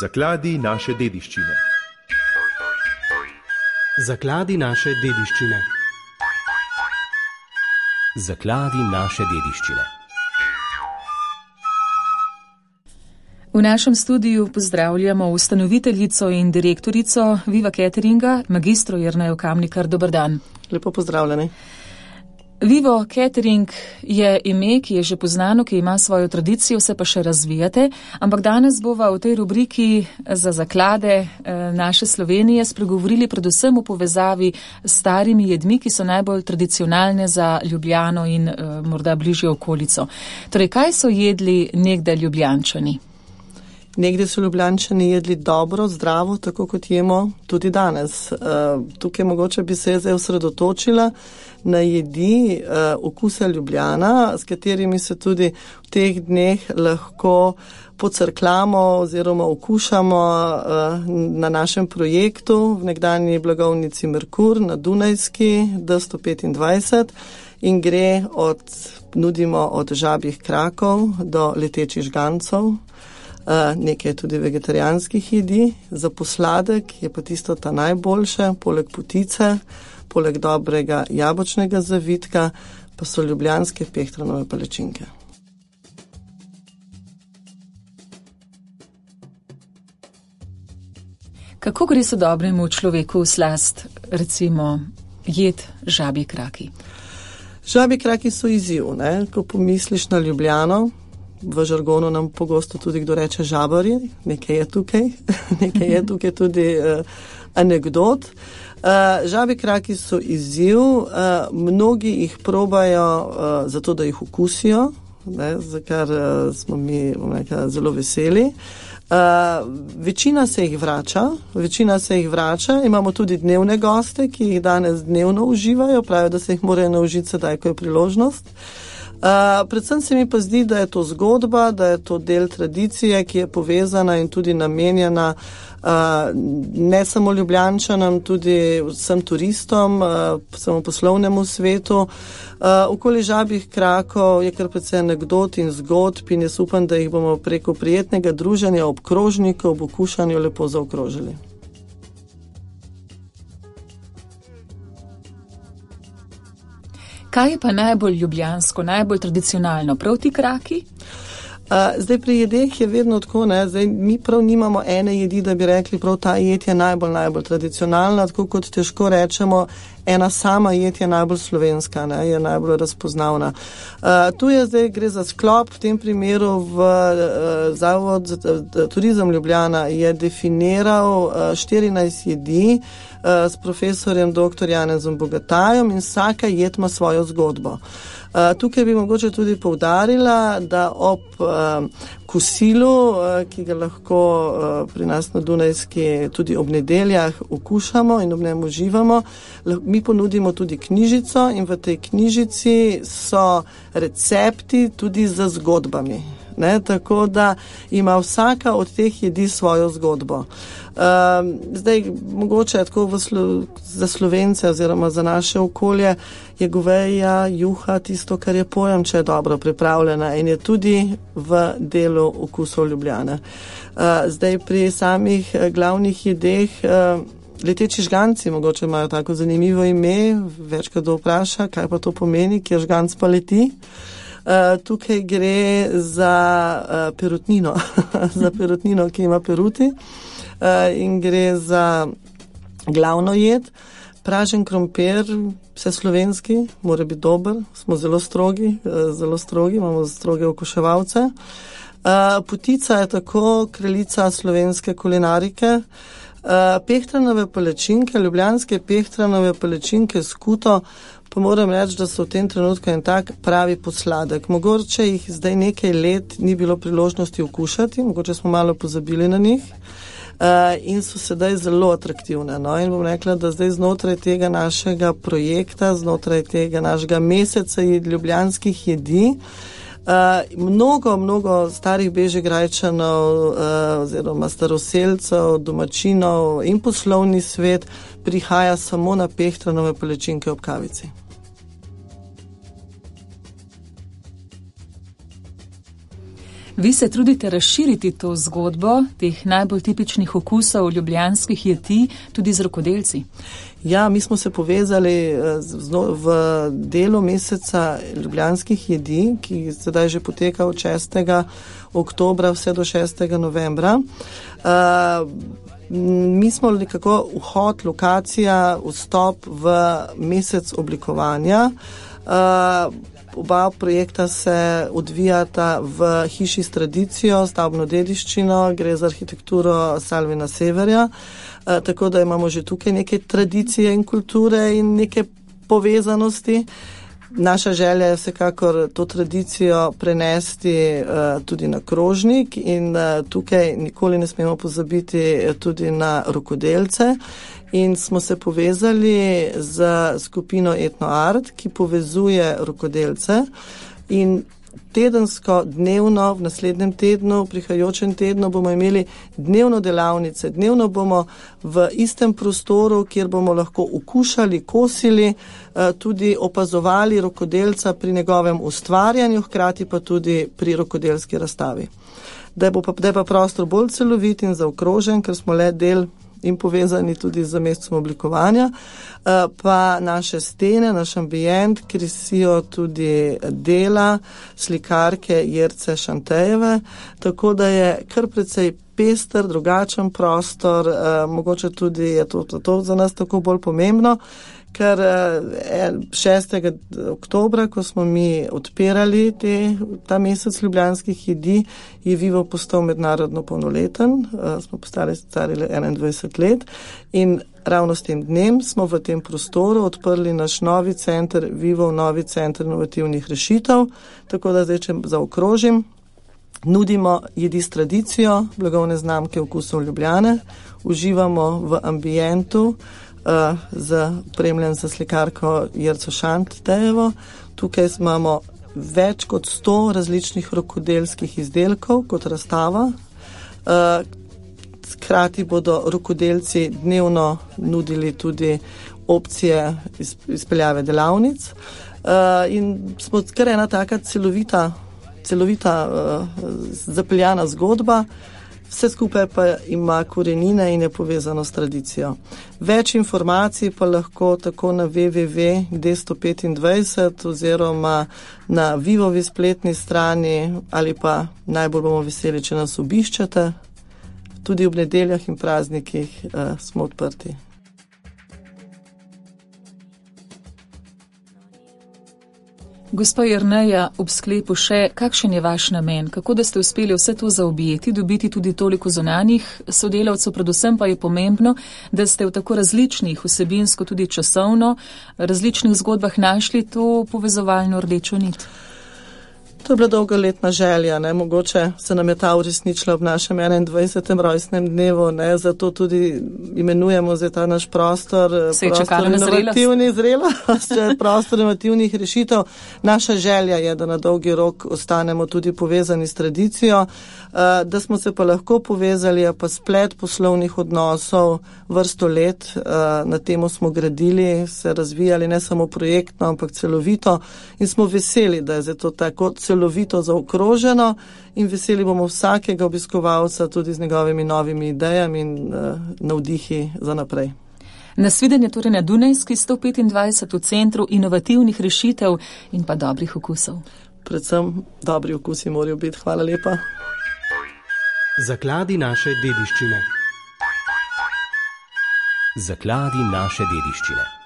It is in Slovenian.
Zakladi naše dediščine. Zakladi naše dediščine. Zakladi naše dediščine. V našem studiu pozdravljamo ustanoviteljico in direktorico Viva Cateringa, magistro Jernejo Kamnikar. Dober dan. Lepo pozdravljeni. Vivo Catering je ime, ki je že poznano, ki ima svojo tradicijo, se pa še razvijate, ampak danes bova v tej rubriki za zaklade naše Slovenije spregovorili predvsem v povezavi s starimi jedmi, ki so najbolj tradicionalne za Ljubljano in morda bližjo okolico. Torej, kaj so jedli nekdaj Ljubljančani? Nekdaj so Ljubljančani jedli dobro, zdravo, tako kot jemo tudi danes. Tukaj mogoče bi se zdaj osredotočila na jedi okusa Ljubljana, s katerimi se tudi v teh dneh lahko pocrklamo oziroma okušamo na našem projektu v nekdanji blagovnici Merkur na Dunajski D125 in gre nudimo od žabjih krakov do letečih žgancov. Nekaj tudi vegetarijanskih jedi, za posladek je pa tisto ta najboljše, poleg potice, poleg dobrega jabolčnega zavitka, pa so ljubljanske pehtranove palačinke. Kako gre se dobremu človeku v slast, recimo, jed žabji kraki? Žabji kraki so izziv, ne? Ko pomisliš na Ljubljano, v žargonu nam pogosto tudi kdo reče žabarji, nekaj je tukaj tudi anekdot. Žabji kraki so izziv, mnogi jih probajo zato, da jih okusijo, za kar smo mi zelo veseli. Večina se jih vrača, imamo tudi dnevne goste, ki jih danes dnevno uživajo, pravijo, da se jih morajo naučiti sedaj, ko je priložnost. Predvsem se mi pa zdi, da je to zgodba, da je to del tradicije, ki je povezana in tudi namenjena ne samo Ljubljančanom, tudi vsem turistom, samo poslovnemu svetu. Okoli žabjih krakov je kar precej anekdot in zgodb in jaz upam, da jih bomo preko prijetnega druženja ob krožniku, ob okušanju lepo zaokrožili. Kaj je pa najbolj ljubljansko, najbolj tradicionalno? Prav ti kraki? Zdaj pri jedeh je vedno tako, zdaj mi prav nimamo ene jedi, da bi rekli, prav ta jed je najbolj tradicionalna, tako kot težko rečemo, ena sama jed je najbolj slovenska, je najbolj razpoznavna. Tu je zdaj, gre za sklop, v tem primeru v Zavod za turizem Ljubljana je definiral 14 jedi s profesorjem dr. Janezom Bogatajom in vsaka jed ima svojo zgodbo. Tukaj bi mogoče tudi poudarila, da ob kosilu, ki ga lahko pri nas na Dunajski tudi ob nedeljah okušamo in ob njem uživamo, mi ponudimo tudi knjižico in v tej knjižici so recepti tudi za zgodbami. Tako da ima vsaka od teh jedi svojo zgodbo. Zdaj, mogoče tako za Slovence oziroma za naše okolje je goveja, juha tisto, kar je pojem, če je dobro pripravljena in je tudi v delu okusov Ljubljane. Zdaj, pri samih glavnih jedeh, leteči žganci mogoče imajo tako zanimivo ime, večkrat vpraša, kaj pa to pomeni, kjer žganc pa leti. Tukaj gre za perutnino, za perutnino, ki ima peruti in gre za glavno jed. Pražen krompir, vse slovenski, mora biti dober, smo zelo strogi, imamo stroge okuševalce. Potica je tako kraljica slovenske kulinarike. Pehtranove palačinke, ljubljanske pehtranove palačinke s kuto, pa moram reči, da so v tem trenutku en tak pravi posladek. Mogoče jih zdaj nekaj let ni bilo priložnosti okušati, mogoče smo malo pozabili na njih in so sedaj zelo atraktivne. In bom rekla, da zdaj znotraj tega našega projekta, znotraj tega našega meseca ljubljanskih jedi, mnogo starih Bežigrajčanov oziroma staroselcev, domačinov in poslovni svet prihaja samo na pehtranove palačinke ob kavici. Vi se trudite razširiti to zgodbo teh najbolj tipičnih okusov ljubljanskih jedi tudi z rokodelci. Ja, mi smo se povezali v delu meseca ljubljanskih jedi, ki sedaj že poteka od 6. oktobra vse do 6. novembra. Mi smo nekako vhod, lokacija, vstop v mesec oblikovanja. Oba projekta se odvijata v hiši s tradicijo, stavbno dediščino, gre za arhitekturo Salvina Severja, tako da imamo že tukaj neke tradicije in kulture in neke povezanosti. Naša želja je vsekakor to tradicijo prenesti tudi na krožnik in tukaj nikoli ne smemo pozabiti tudi na rokodelce. In smo se povezali z skupino Etno Art, ki povezuje rokodelce in tedensko, dnevno, v naslednjem tednu, v prihajajočem tednu bomo imeli dnevno delavnice. Dnevno bomo v istem prostoru, kjer bomo lahko okušali, kosili, tudi opazovali rokodelca pri njegovem ustvarjanju, hkrati pa tudi pri rokodelski razstavi. Da je pa prostor bolj celovit in zaokrožen, ker smo le del in povezani tudi z mesecem oblikovanja, pa naše stene, naš ambient krasijo tudi dela slikarke Jerce Šantejeve, tako da je kar precej pester, drugačen prostor, mogoče tudi je to za nas tako bolj pomembno, ker 6. oktobra, ko smo mi odpirali ta mesec ljubljanskih jedi, je Vivo postal mednarodno polnoleten, smo postali stari 21 let in ravno s tem dnem smo v tem prostoru odprli naš novi center, Vivo novi center inovativnih rešitev, tako da zdaj, če zaokrožim, nudimo jedi s tradicijo, blagovne znamke okusov Ljubljane, uživamo v ambientu, opremljen za slikarko Jerco Šantejevo. Tukaj imamo več kot 100 različnih rokodelskih izdelkov kot razstava. Hkrati bodo rokodelci dnevno nudili tudi opcije izpeljave delavnic. In smo kar ena taka celovita zapeljana zgodba. Vse skupaj pa ima korenine in je povezano s tradicijo. Več informacij pa lahko tako na www.d125 oziroma na Vivovi spletni strani ali pa najbolj bomo veseli, če nas obiščete. Tudi ob nedeljah in praznikih smo odprti. Gospa Jerneja, ob sklepu še, kakšen je vaš namen? Kako da ste uspeli vse to zaobjeti, dobiti tudi toliko zunanjih sodelavcev, predvsem pa je pomembno, da ste v tako različnih, vsebinsko tudi časovno, različnih zgodbah našli to povezovalno rdečo nit? To je bila dolgoletna želja, mogoče se nam je ta uresničila ob našem 21. rojstnem dnevu, zato tudi imenujemo zdaj ta naš prostor prostor inovativnih rešitev. Naša želja je, da na dolgi rok ostanemo tudi povezani s tradicijo, da smo se pa lahko povezali, pa splet poslovnih odnosov vrsto let, na temo smo gradili, se razvijali ne samo projektno, ampak celovito in smo veseli, da je zato tako celovito zaokroženo in veseli bomo vsakega obiskovalca tudi z njegovimi novimi idejami in navdihi za naprej. Nasvidenje torej na Dunajski 125 v Centru inovativnih rešitev in pa dobrih okusov. Predvsem dobri okusi morajo biti. Hvala lepa. Zakladi naše dediščine. Zakladi naše dediščine.